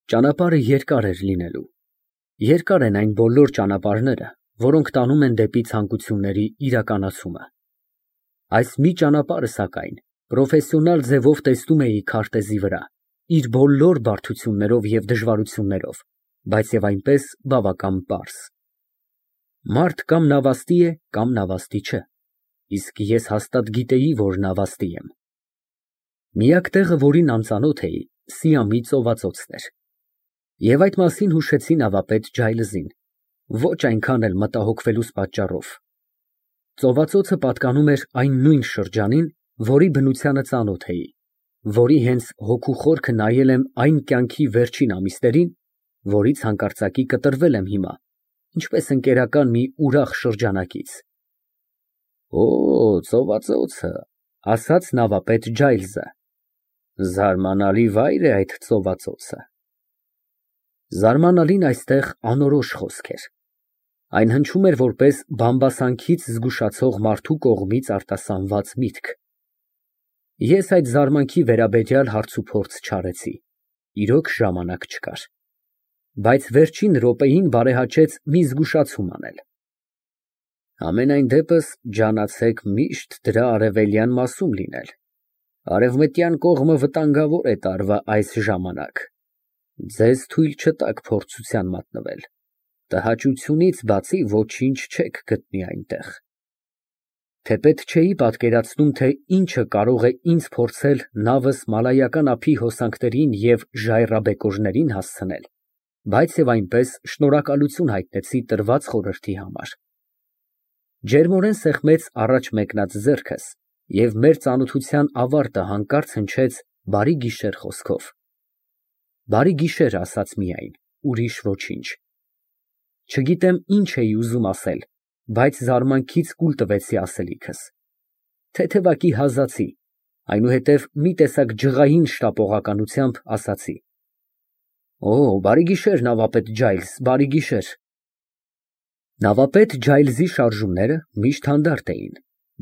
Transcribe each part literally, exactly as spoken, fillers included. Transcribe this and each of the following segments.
Ճանապարհը երկար էր լինելու։ Երկար են այն բոլոր ճանապարհները, որոնք տանում են դեպի ցանկությունների իրականացումը։ Այս մի ճանապարհը, սակայն, պրոֆեսիոնալ ձևով տեսնում էի քարտեզի վրա, իր բոլոր բարդություններով և դժվարություններով, բայց և այնպես բավական պարզ։ Մարդ կամ նավաստի է, կամ նավաստի չէ, իսկ ես հաստատ գիտեի, որ նավաստի եմ։ Միակ տեղը, որին անծանոթ էի, Սիամի ծովածոցն էր։ Եվ այդ մասին հուշեցի նավապետ Ջայլզին, ոչ այնքան էլ մտահոգվելուս պատճառով։ Ծովածոցը պատկանում էր այն նույն շրջանին, որի բնությանը ծանոթ էի, որի հենց հոգու խորքը նայել եմ այն կյանքի վերջին ամիսներին, որից հանկարծակի կտրվել եմ հիմա, ինչպես ընկերական մի ուրախ շրջանակից։ Օ, ծովածոցը, ասաց նավապետ Ջայլզը, զարմանալի վայր է այդ ծովածոցը։ Զարմանալին այստեղ անորոշ խոսք էր։ Այն հնչում էր որպես բամբասանքից զգուշացող մարդու կողմից արտասանված միտք։ Ես այդ զարմանքի վերաբերյալ հարցուփորձ չարեցի, իրոք ժամանակ չկար։ Բայց վերջին րոպեին բարեհաճեց մի զգուշացում անել։ Համենայն դեպս ջանացեք միշտ դրա արևելյան մասում լինել, արևմտյան կողմը վտանգավոր է տարվա այս ժամանակ, ձեզ թույլ չտաք փորձության մատնվել, տհաճությունից բացի ոչինչ չեք գտնի այնտեղ։ Թեպետ չէի պատկերացնում, թե ինչը կարող է ինձ փորձել նավս մալայական ափի հոսանքներին և ժայռաբեկորներին հասցնել, բայց և այնպես շնորհակալություն հայտնեցի տրված խորհրդի համար։ Ջերմորեն սեղմեց առաջ մեկնած ձեռքս և մեր ծանոթության ավարտը հանկարծ հնչեց «բարի գիշեր» խոսքով։ Բարի գիշեր ասաց միայն, ուրիշ ոչինչ։ Չգիտեմ ինչ էի ուզում ասել, բայց զարմանքից կուլ տվեցի ասելիքս։ Թեթևակի հազացի, այնուհետև մի տեսակ ջղային շտապողականությամբ ասացի. Օ, բարի գիշեր, նավապետ Ջայլզ, բարի գիշեր։ Նավապետ Ջայլզի շարժումները միշտ հանդարտ էին,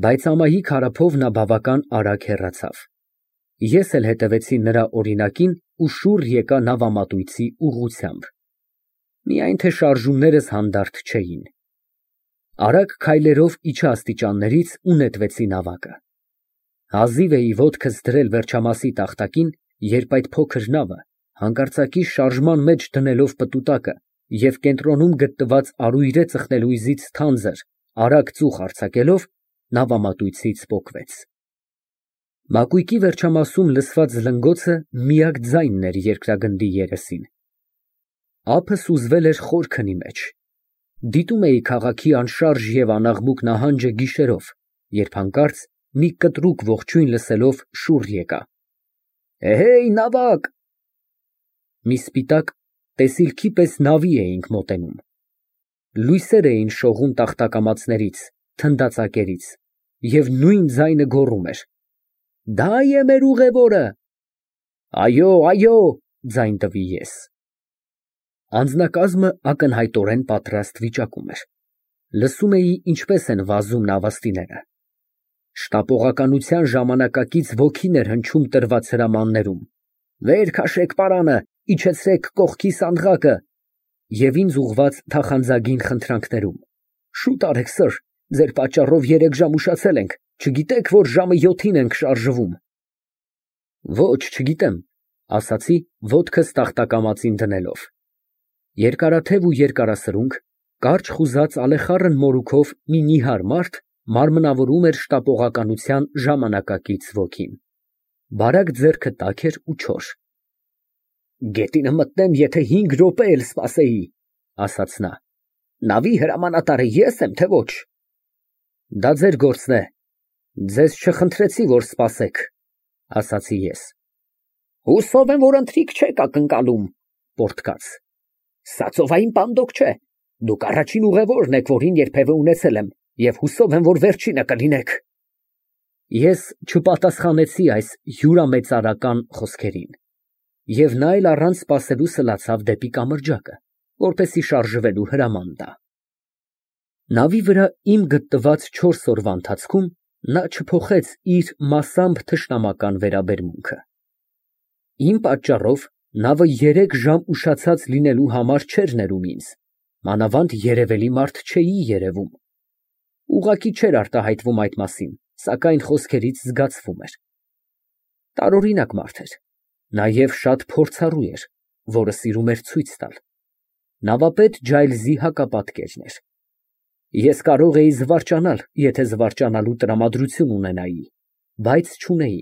բայց ամայի քարափով նա բավական արագ հեռացավ։ Ես էլ հետևեցի նրա օրինակին ու շուռ եկա նավամատույցի ուղղությամբ։ Միայն թե շարժումներս հանդարտ չէին։ Արագ քայլերով իջա աստիճաններից ու նետվեցի նավակը։ Հազիվ էի ոտքս դրել վերջամասի տախտակին, երբ այդ փոքր նավը, հանկարծակի շարժման մեջ դնելով պտուտակը և կենտրոնում գտնված արույրե ծխնելույզից թանձր, արագ ծուխ արձակելով, նավամատույցից պոկվեց։ Մակույկի վերջամասում լսված զլնգոցը միակ ձայնն էր երկրագնդի երեսին։ Ափը սուզվել էր խոր քնի մեջ։ Դիտում էի քաղաքի անշարժ և անաղմուկ նահանջը գիշերով, երբ հանկարծ մի կտրուկ ողջույն լսելով շուռ եկա. Էհեյ, նավակ։ Մի սպիտակ, տեսիլքի պես նավի էինք մոտենում։ Լույսեր էին շողում տախտակամածներից, թնդածակերից, և նույն ձայնը գոռում էր. Դա է մեր ուղևորը։ Այո, այո, ձայն տվի ես։ Անձնակազմը ակնհայտորեն պատրաստ վիճակում էր։ Լսում էի ինչպես են վազում նավաստիները։ Շտապողականության ժամանակակից ոգին էր հնչում տրված հրամաններում. Վեր քաշեք պարանը, իջեցրեք կողքի սանդղակը, և ինձ ուղղված թախանձագին խնդրանքներում. Շուտ արեք, սըր, ձեր պատճառով երեք ժամ ուշացել ենք, չգիտեք, որ ժամը յոթին ենք շարժվում։ Ոչ, չգիտեմ, ասացի, ոտքս տախտակամածին դնելով։ Երկարաթև ու երկարասրունք, կարճ խուզած ալեխառն մորուքով մի նիհար մարդ մարմնավորում էր շտապողականության ժամանակակից ոգին։ Բարակ ձեռքը տաք էր ու չոր։ Գետինը մտնեմ, եթե հինգ րոպե էլ սպասեի, ասաց նա։ Նավի հրամանատարը ես եմ, թե ոչ։ Դա ձեր գործն է։ Ձեզ չխնդրեցի, որ սպասեք, ասացի ես։ Հուսով եմ, որ ընթրիք չեք ակնկալում, պոռթկաց։ Սա ծովային պանդոկ չէ։ Դուք առաջին ուղևորն եք, որին երբևէ ունեցել եմ, և հուսով եմ, որ վերջինը կլինեք։ Ես չպատասխանեցի այս հյուրամեծարական խոսքերին, և նա էլ առանց սպասելու սլացավ դեպի կամրջակը, որպեսզի շարժվելու հրաման տա։ Նավի վրա իմ գտնված չորս օրվա ընթացքում նա չփոխեց իր մասամբ թշնամական վերաբերմունքը։ Իմ պատճառով Նավը երեք ժամ ուշացած լինելու համար չէր ներում ինձ, մանավանդ երևելի մարդ չէի երևում։ Ուղղակի չէր արտահայտվում այդ մասին, սակայն խոսքերից զգացվում էր։ Տարօրինակ մարդ էր, նաև շատ փորձառու էր, որը սիրում էր ցույց տալ։ Նավապետ Ջայլզի հակապատկերն էր։ Ես կարող էի զվարճանալ, եթե զվարճանալու տրամադրություն ունենայի, բայց չունեի։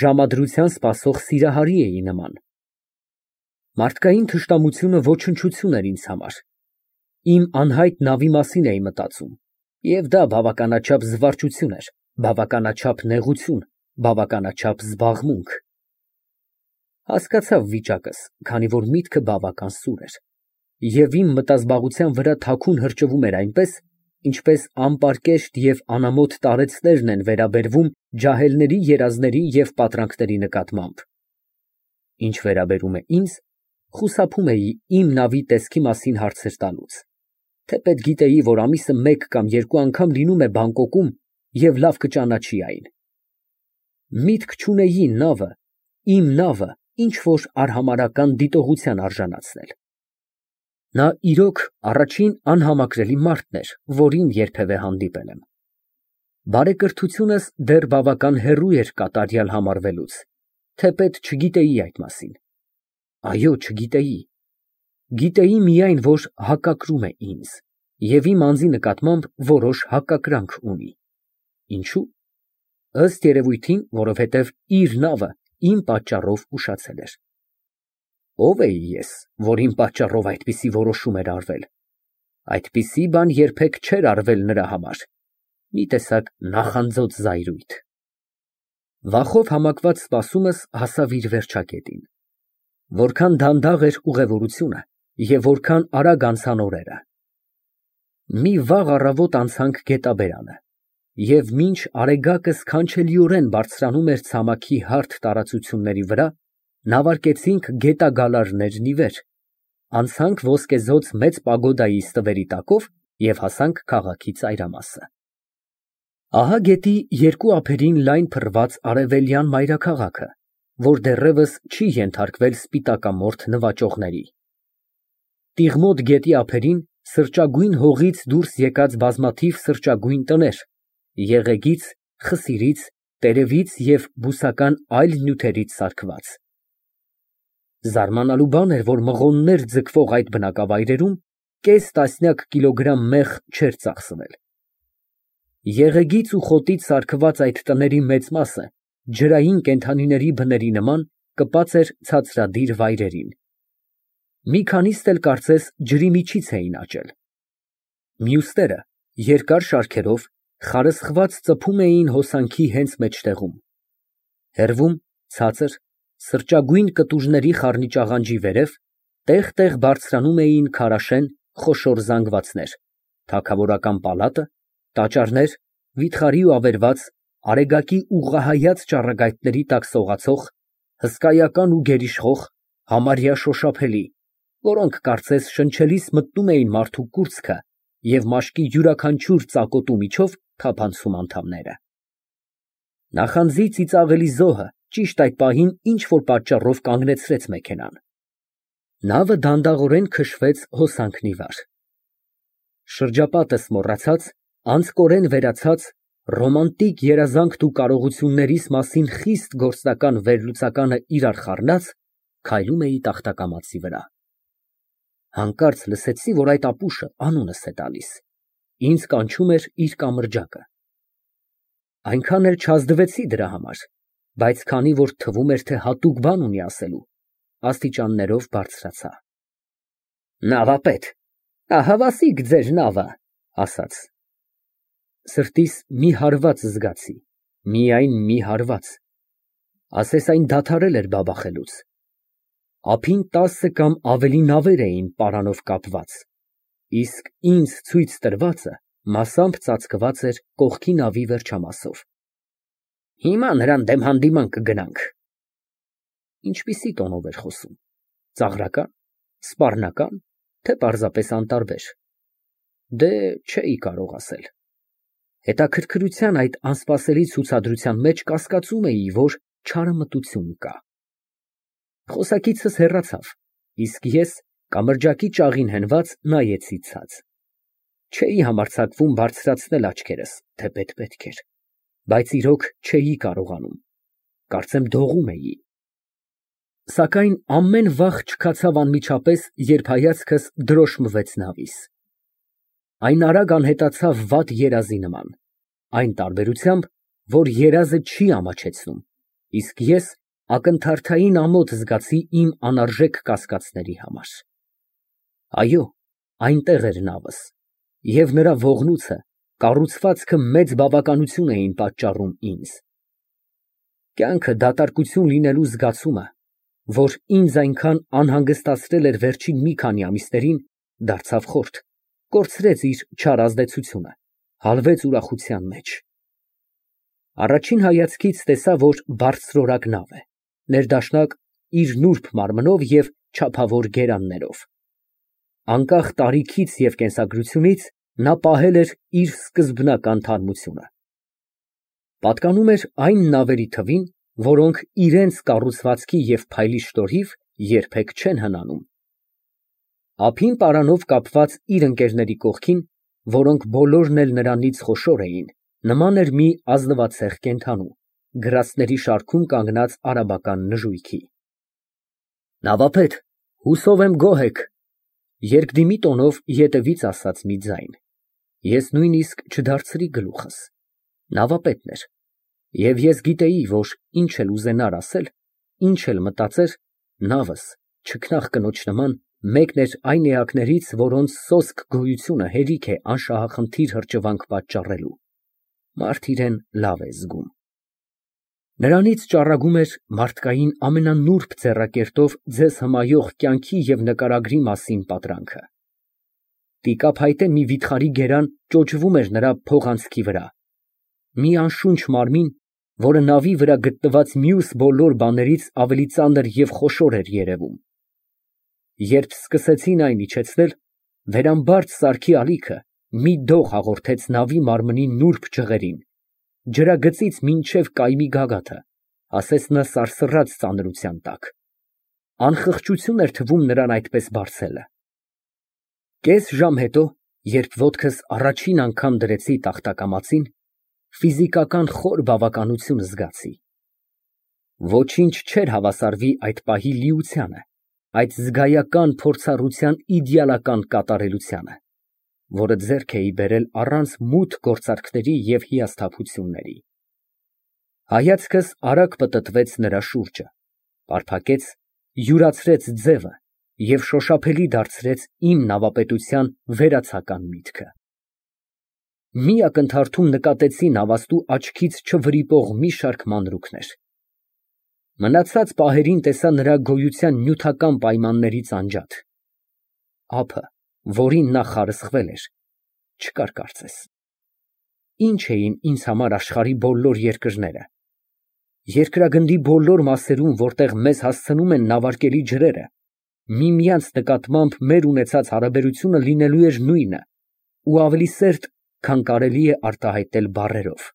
Ժամադրության սպասող սիրահարի էի նման։ Մարդկային թշնամությունը ոչնչություն էր ինձ համար։ Իմ անհայտ նավի մասին էի մտածում, և դա բավականաչափ զվարճություն էր, բավականաչափ նեղություն, բավականաչափ զբաղմունք։ Հասկացա վիճակս, քանի որ միտքը բավական սուր էր, և իմ մտազբաղության վրա թաքուն հրճվում էր այնպես, ինչպես անպարկեշտ և անամոթ տարեցներն են վերաբերվում ջահելների երազների և պատրանքների նկատմամբ։ Ինչ վերաբերում է ինձ, խուսափում էի իմ նավի տեսքի մասին հարցեր տալուց, թեպետ գիտեի, որ ամիսը մեկ կամ երկու անգամ լինում է Բանգկոկում և լավ կճանաչի այն։ Միտք չունեի նավը, իմ նավը ինչ֊որ արհամարհական դիտողության արժանացնել։ Նա իրոք առաջին անհամակրելի մարդն էր, որին երբևէ հանդիպել եմ։ Բարեկրթությունս դեռ բավական հեռու էր կատարյալ համարվելուց, թեպետ չգիտեի այդ մասին։ Այո, չգիտեի։ Գիտեի միայն, որ հակակրում է ինձ և իմ անձի նկատմամբ որոշ հակակրանք ունի։ Ինչո՞ւ։ Ըստ երևույթին, որովհետև իր նավը իմ պատճառով ուշացել էր։ Ո՞վ էի ես, որ իմ պատճառով այդպիսի որոշում էր արվել։ Այդպիսի բան երբեք չէր արվել նրա համար, մի տեսակ նախանձոց զայրույթ։ Վախով համակված սպասումս հասավ իր վերջակետին։ Որքան դանդաղ էր ուղևորությունը և որքան արագ անցան օրերը։ Մի վաղ առավոտ անցանք գետաբերանը, և մինչ Արեգակը սքանչելիորեն բարձրանում էր ցամաքի հարթ տարածությունների վրա, նավարկեցինք գետագալարներն ի վեր, անցանք ոսկեզօծ մեծ պագոդայի ստվերի տակով և հասանք քաղաքի ծայրամասը։ Ահա գետի երկու ափերին լայն փռված արևելյան մայրաքաղաքը, որ դեռևս չի ենթարկվել սպիտակամորթ նվաճողների։ Տիղմոտ գետի ափերին սրճագույն հողից դուրս եկած բազմաթիվ սրճագույն տներ, եղեգից, խսիրից, տերևից և բուսական այլ նյութերից սարքված։ Զարմանալու բան էր, որ մղոններ ձգվող այդ բնակավայրերում կես տասնյակ կիլոգրամ մեղ չէր ծախսվել։ Եղեգից ու խոտից սարքված այդ տների մեծ մասը ջրային կենդանիների բների նման կպած էր ցածրադիր վայրերին։ Մի քանիստ էլ կարծես ջրի միջից էին աճել։ Մյուսները երկար շարքերով խարսխված ծփում էին հոսանքի հենց մեջտեղում։ Հեռվում, ցածր, սրճագույն կտուժների խառնիճաղանջի վերև տեղ֊տեղ բարձրանում էին քարաշեն խոշոր զանգվածներ, թագավորական պալատը, տաճարներ, վիթխարի ու ավերված, Արեգակի ուղղահայաց ճառագայթների տակ սողացող, հսկայական ու գերիշխող, համարյա շոշափելի, որոնք կարծես շնչելիս մտնում էին մարդու կուրծքը և մաշկի յուրաքանչյուր ծակոտու միջով թափանցում անդամները։ Նախանձի ծիծաղելի զոհը ճիշտ այդ պահին ինչ֊որ պատճառով կանգնեցրեց մեքենան։ Նավը դանդաղորեն քշվեց հոսանքն ի վար։ Շրջապատս մոռացած, անձկորեն վերացած, ռոմանտիկ երազանքն ու կարողություններիս մասին խիստ գործնական վերլուծականը իրար խառնած, քայլում էի տախտակամածի վրա։ Հանկարծ լսեցի, որ այդ ապուշը անունս է տալիս, ինձ կանչում էր իր կամրջակը։ Այնքան էլ չազդվեցի դրա համար, բայց քանի որ թվում էր, թե հատուկ բան ունի ասելու, աստիճաններով բարձրացա։ Նավապետ, ահավասիկ ձեր նավը, ասաց։ Սրտիս մի հարված զգացի, միայն մի հարված, ասես այն դադարել էր բաբախելուց։ Ափին տասը կամ ավելի նավեր էին պարանով կապված, իսկ ինձ ցույց տրվածը մասամբ ծածկված էր կողքի նավի վերջամասով։ Հիմա նրան դեմ հանդիման կգնանք։ Ինչպիսի տոնով էր խոսում, ծաղրակա՞ն, սպառնակա՞ն, թե պարզապես անտարբեր։ Դե, չէի կարող ասել։ Հետաքրքրության այդ անսպասելի ցուցադրության մեջ կասկածում էի, որ չարամտություն կա։ Խոսակիցս հեռացավ, իսկ ես կամրջակի ճաղին հենված նայեցի ցած։ Չէի համարձակվում բարձրացնել աչքերս, թե պետք էր, բայց իրոք չէի կարողանում, կարծեմ դողում էի։ Սակայն ամեն վախ չքացավ անմիջապես, երբ հայացքս դրոշմվեց նավիս։ Այն արագ անհետացավ վատ երազի նման, այն տարբերությամբ, որ երազը չի ամաչեցնում, իսկ ես ակնթարթային ամոթ զգացի իմ անարժեք կասկածների համար։ Այո, այնտեղ էր նավս, և նրա ողնույթը, կառուցվածքը մեծ բավականություն էին պատճառում ինձ։ Կյանքը դատարկություն լինելու զգացումը, որ ինձ այնքան անհանգստացրել էր վերջին մի քանի ամիսներին, դարձավ խորթ, կորցրեց իր չար ազդեցությունը, հալվեց ուրախության մեջ։ Առաջին հայացքից տեսա, որ բարձրորակ նավ է, ներդաշնակ իր նուրբ մարմնով և չափավոր գերաններով։ Անկախ տարիքից և կենսագրությունից նա պահել էր իր սկզբնական թարմությունը։ Պատկանում էր այն նավերի թվին, որոնք իրենց կառուցվածքի և փայլի շնորհիվ երբեք չեն հնանում։ Ափին պարանով կապված իր ընկերների կողքին, որոնք բոլորն էլ նրանից խոշոր էին, նման էր մի ազնվացեղ կենդանու, գրաստների շարքում կանգնած արաբական նժույգի։ Նավապետ, հուսով եմ գոհ եք, երկդիմի տոնով ետևից ասաց մի ձայն։ Ես նույնիսկ չդարձրի գլուխս, նավապետն էր, և ես գիտեի, որ ինչ էլ ուզենար ասել, ինչ էլ մտածեր, նավս, չքնաղ կնոջ նման, մեկն էր այն էակներից, որոնց սոսկ գոյությունը հերիք է անշահախնդիր հրճվանք պատճառելու, մարդ իրան լավ է զգում։ Նրանից ճառագում էր մարդկային ամենանուրբ ձեռակերտով ձեզ հմայող կյանքի և նկարագրի մասին պատրանքը։ Տիկափայտե մի վիթխարի գերան ճոճվում էր նրա փողանցքի վրա, մի անշունչ մարմին, որը նավի վրա գտնված մյուս բոլոր բաներից ավելի ծանր և խոշոր էր երևում։ Երբ սկսեցին այն իջեցնել, վերամբարձ սարքի ալիքը մի դող հաղորդեց նավի մարմնի նուրբ ջղերին, ջրագծից մինչև կայմի գագաթը, ասես նա սարսռաց ծանրության տակ։ Անխղճություն էր թվում նրան այդպես բարձելը։ Կես ժամ հետո, երբ ոտքս առաջին անգամ դրեցի տախտակամածին, ֆիզիկական խոր բավականություն զգացի։ Ոչինչ չէր հավասարվի այդ պահի լիությանը, այդ զգայական փորձառության իդեալական կատարելությանը, որը ձեռք էի բերել առանց մութ գործարքների և հիասթափությունների։ Հայացքս արագ պտտվեց նրա շուրջը, պարփակեց, յուրացրեց ձևը և շոշափելի դարձրեց իմ նավապետության վերացական միտքը։ Մի ակնթարթում նկատեցի նավաստու աչքից չվրիպող մի շարք մանրուքներ։ Մնացած պահերին տեսա նրա գոյության նյութական պայմաններից անջատ։ Ափը, որին նա խարսխվել էր, չկար կարծես։ Ինչ էին ինձ համար աշխարհի բոլոր երկրները։ Երկրագնդի բոլոր մասերում, որտեղ մեզ հասցնում են նավարկելի ջրերը, միմյանց նկատմամբ մեր ունեցած հարաբերությունը լինելու էր նույնը ու ավելի սերտ, քան կարելի է արտահայտել բառերով։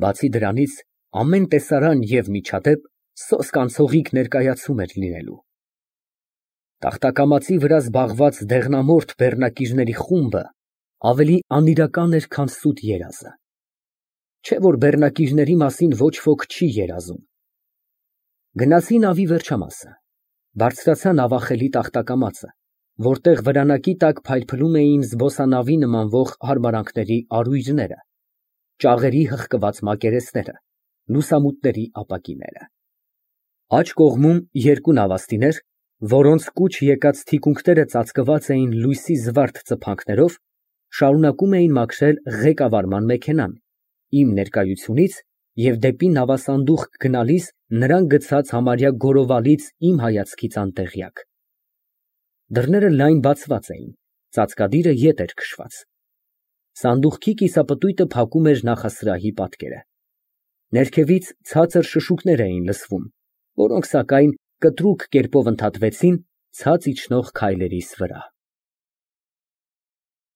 Բացի դրանից, ամեն տեսարան և միջադեպ սոսկ անցողիկ ներկայացում էր լինելու։ Տախտակամածի վրա զբաղված դեղնամորթ բեռնակիրների խումբը ավելի անիրական էր, քան սուտ երազը։ Չէ՞ որ բեռնակիրների մասին ոչ ոք չի երազում։ Գնացի նավի վերջամասը, բարձրացա նավախելի տախտակամածը, որտեղ վրանակի տակ փայլփլում էին զբոսանավի նմանվող հարմարանքների արույրները, ճաղերի հղկված մակերեսները, լուսամուտների ապակիները։ Աջ կողմում երկու նավաստիներ, որոնց կուչ եկած թիկունքները ծածկված էին լույսի զվարթ ծփանքներով, շարունակում էին մաքրել ղեկավարման մեքենան, իմ ներկայությունից և դեպի նավասանդուղք գնալիս նրան գցած համարյա գորովալից իմ հայացքից անտեղյակ։ Դռները լայն բացված էին, ծածկադիրը ետ էր քշված։ Սանդուղքի կիսապտույտը փակում էր նախասրահի պատկերը։ Ներքևից ցածր շշուկներ էին լսվում, որոնք, սակայն, կտրուկ կերպով ընդհատվեցին ցած իջնող քայլերիս վրա։